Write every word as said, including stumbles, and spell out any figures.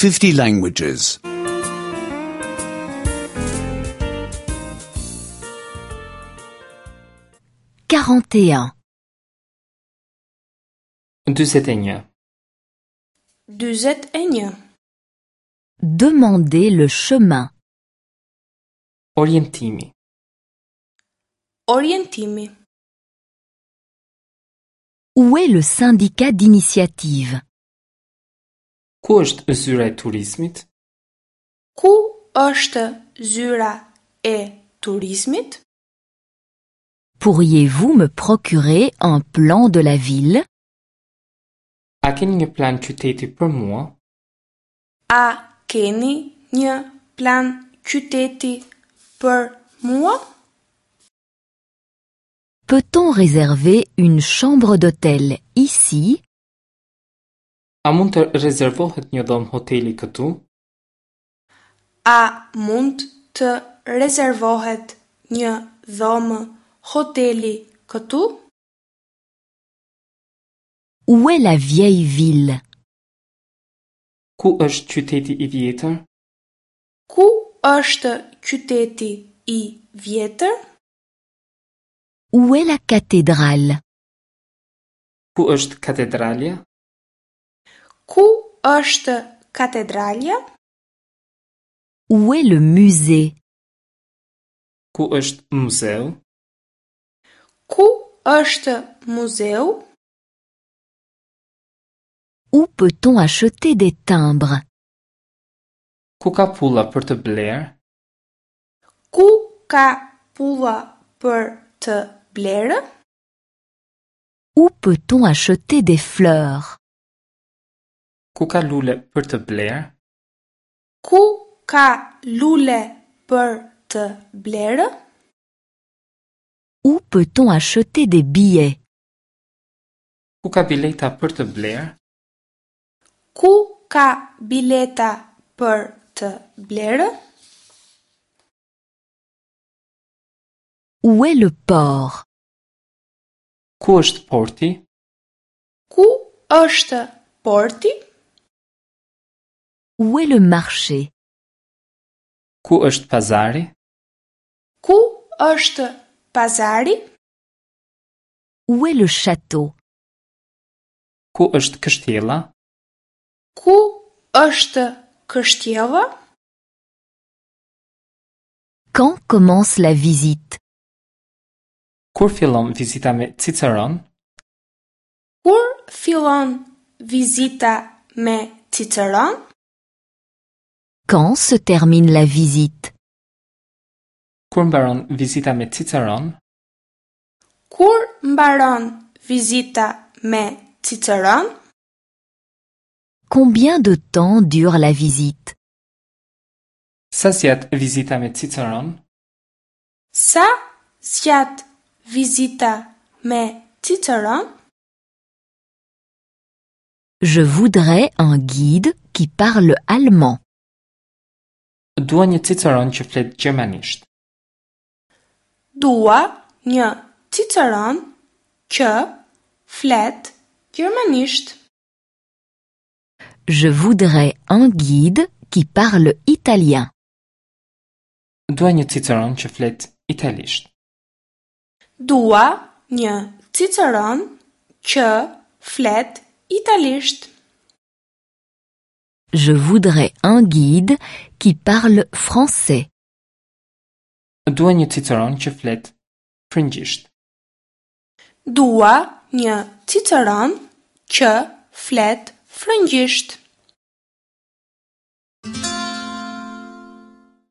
fifty languages. quarante et un. dyzet e një. dyzet e një. Demandez le chemin. Orientimi. Orientimi. Où est le syndicat d'initiative? Ku është zyra e turizmit? Ku është zyra e turizmit? Pourriez-vous me procurer un plan de la ville? A keni një plan qyteti për mua? A keni një plan qyteti për mua? Peut-on réserver une chambre d'hôtel ici? A mund të rezervohet një dhomë hoteli këtu? A mund të rezervohet një dhomë hoteli këtu? Où est la vieille ville? Ku është qyteti i vjetër? Ku është qyteti i vjetër? Où est la cathédrale? Ku është katedralja? Ku është katedralja? Où est le musée? Ku është muzeu? Ku është muzeu? Où peut-on acheter des timbres? Ku ka pulla për të blerë? Ku ka pulla për të blerë? Où peut-on acheter des fleurs? Ku ka lule për të blerë? Ku ka lule për të blerë? Où peut-on acheter des billets? Ku ka bileta për të blerë? Ku ka bileta për të blerë? Où est le port? Ku është porti? Ku është porti? Où est le marché? Ku është pazari? Ku është pazari? Où est le château? Ku është kështjella? Ku është kështjella? Quand commence la visite? Kur fillon vizita me Ciceron? Kur fillon vizita me Ciceron? Quand se termine la visite? Kur mbaron vizita me Ciceron? Kur mbaron vizita me Ciceron? Combien de temps dure la visite? Sa zgjat vizita me Ciceron? Sa zgjat vizita me Ciceron? Je voudrais un guide qui parle allemand. Dua një Ciceron që flet gjermanisht. Dua një Ciceron që flet gjermanisht. Je voudrais un guide qui parle italien. Dua një Ciceron që flet italisht. Dua një Ciceron që flet italisht. Je voudrais un guide qui parle français. Dua një Ciceron që flet frëngjisht. Dua një Ciceron që flet frëngjisht.